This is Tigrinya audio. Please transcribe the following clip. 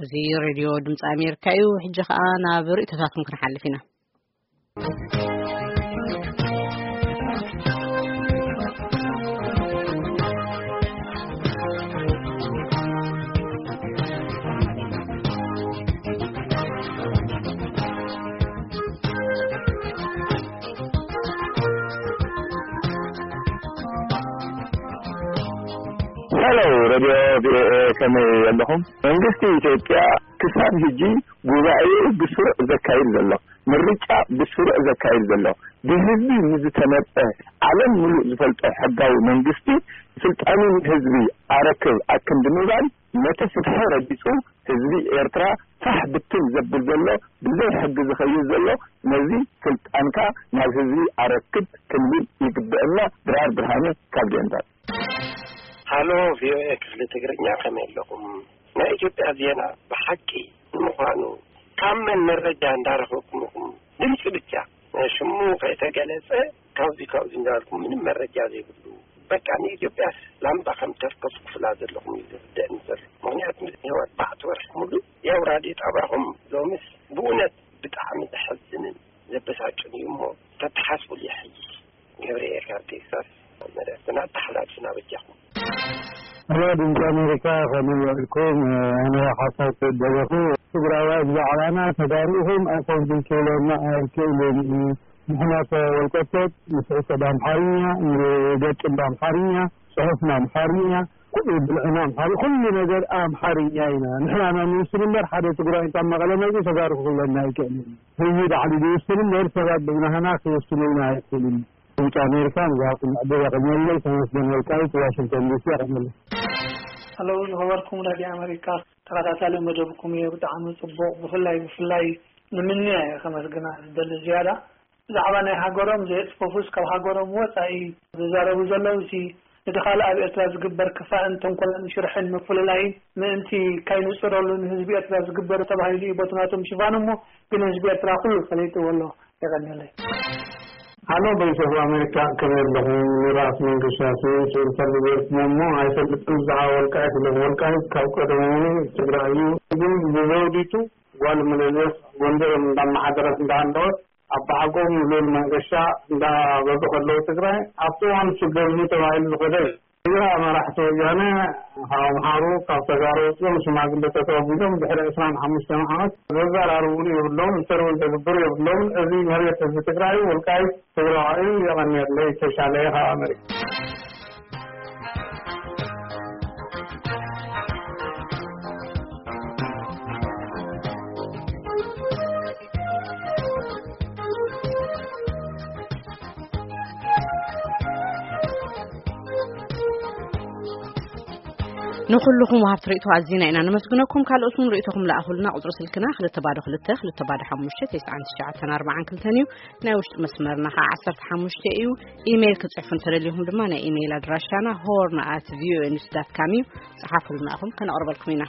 እዚ ሬድዮ ድምፂ ኣሜሪካ እዩ። ሕጂ ኸኣ ናብ ርእይቶታትኩም ክንሓልፍ ኢና። ሄሎ፣ ሬድዮ ቪኦኤ፣ ከመይ ኣለኹም? መንግስቲ ኢትዮጵያ ክሳብ ሕጂ ጉባኤ ብስሩዕ ዘካይድ ዘሎ፣ ምርጫ ብስሩዕ ዘካይድ ዘሎ፣ ብህዝቢ ንዝተመርጸ፣ ዓለም ምሉእ ዝፈልጦ ሕጋዊ መንግስቲ፣ ስልጣኑ ንህዝቢ ኣረክብ ኣክንዲ ምባል፣ ነቲ ፍትሒ ረጊጹ፣ ህዝቢ ኤርትራ ፋሕ ብትን ዘብል ዘሎ፣ ብዘይ ሕጊ ዝኸይድ ዘሎ፣ ነዚ ስልጣንካ ናብ ህዝቢ ኣረክብ ክንብል ይግበአና። ድራር ብርሃነ ካብ ዴንቨር። ሃሎ፣ ቪኦኤ ክፍሊ ትግርኛ፣ ከመይ ኣለኹም? ናይ ኢትዮጵያ ዜና ብሓቂ ንምዃኑ ካብ መን መረጃ እንዳረኸብኩም ኢኹም? ድምፂ ብቻ፣ ሽሙ ከይተገለጸ፣ ካብዚ ካብዚ እንዳበልኩም ምንም መረጃ ዘይብሉ። በቃ ንኢትዮጵያ ላምባ ከም ተርከሱ ክፍላ ዘለኹም እዩ ዝርደእኒ ዘሎ። ምኽንያቱ ንህወሓት ኣርባዕተ ወርሒ ሙሉ ያው ራድዮ ጣብያኹም ሎምስ ብእውነት ብጣዕሚ ዘሐዝንን ዘበሳጭን እዩ እሞ ተተሓስቡሉ ይሕይሽ። ገብርኤል ካብ ቴክሳስ መልእኽትና ኣተሓላልፍና በጃኹም። ሄሎ፣ ድምፂ ኣሜሪካ፣ ከመይ ውዒልኩም? ኣነ ሓሳብ ክደለኹ፣ ትግራዋይ ብዛዕባና ተጋሩ ኢኹም ኣይኮንኩም ክብለና ኣይክእልን እዩ። ንሕና እኮ ወልቀቶት ንስዕሰ ብኣምሓርኛ፣ ንገጥም ብኣምሓርኛ፣ ጽሑፍና ኣምሓርኛ፣ ኩሉ ብልዕና ኣምሓሪ፣ ኩሉ ነገር ኣምሓርኛ ኢና። ንሕና ኢና ንውስን እምበር ሓደ ትግራይ ካብ መቐለ መጺኡ ተጋሩ ክብለና ኣይክእልን። ህዝቢ ባዕሉ ዝውስን እምበር ሰባት ብናህና ክውስኑልና ኣይክእልን። ድምፂ ኣሜሪካ ንዝሃብኩም ዕድል የቐንየለይ። ተመስገን ወልቃይት፣ ዋሽንግተን ዲሲ፣ የቐንየለይ። ሄሎ፣ ዝኸበርኩም ራድዮ ኣሜሪካ፣ ተኸታታሊ መደብኩም እየ። ብጣዕሚ ጽቡቕ። ብፍላይ፣ ብፍላይ ንምንያ እየ ከመስግና ዝደሊ ዝያዳ። ብዛዕባ ናይ ሃገሮም ዘየጽፈፉስ ካብ ሃገሮም ወጻኢ ዝዛረቡ ዘለዉ፣ እዚ ነቲ ካልእ ኣብ ኤርትራ ዝግበር ክፋእን ተንኮልን ሽርሕን ምፍልላይን ምእንቲ ካይንጽረሉ ንህዝቢ ኤርትራ ዝግበር ተባሂሉ እዩ በቲ ናቶም ሽፋን እሞ፣ ግን ህዝቢ ኤርትራ ኩሉ ፈሊጥዎ ኣሎ። የቐንየለይ። ሃሎ፣ ቮይስ ኦፍ ኣሜሪካ፣ ከመይ ኣለኹም? ንራስ መንገሻ ስዩም ስእሊ ፈልጉ ገይርኩም እሞ ኣይፈልጥን ብዛዕባ ወልቃይት ኢለኩም። ወልቃይት ካብ ቀደም እውን ትግራይ እዩ፣ ግን ብዘውዲቱ ጓል ምልልስ ጎንደር እንዳመሓደረት እንዳሃለወት ኣባሓጎም ልኡል መንገሻ እንዳበሉ ከለዉ ትግራይ ኣብቲ እዋን ሽግር እዩ ተባሂሉ ዝኸደ እዩ። ትግራይ መራሕቲ ወያነ ካብ ኣምሓሩ ካብ ተጋሩ ወፂኦም ሽማግለታት ኣቢሎም ድሕሪ ዕስራን ሓሙሽተን ዓመት ዘዘራርቡሉ የብሎም፣ ኢንተርቪው ዘግብሩ የብሎም። እዚ መሬት ህዝቢ ትግራይ ወልቃይት ትግራዋይ እዩ። የቐንየለይ። ተሻለ ካብ ኣሜሪካ። ንኹልኹም ወሃብቲ ርእይቶ ኣዚና ኢና ነመስግነኩም። ካልኦት እውን ርእይቶኹም ለኣኹልና። ቁጽሪ ስልክና ክልተ ባዶ ክልተ፣ ክልተ ባዶ ሓሙሽተ፣ ተስዓን ትሽዓተን ኣርባዓን ክልተን እዩ። ናይ ውሽጢ መስመርና ኸዓ ዓሰርተ ሓሙሽተ እዩ። ኢሜይል ክትጽሕፉ እንተደሊኹም ድማ ናይ ኢሜይል ኣድራሻና ሆርን ኣት ቪኦኤ ኒውስ ዳት ካም እዩ። ጽሓፉልና፣ ኣኹም ከነቕርበልኩም ኢና።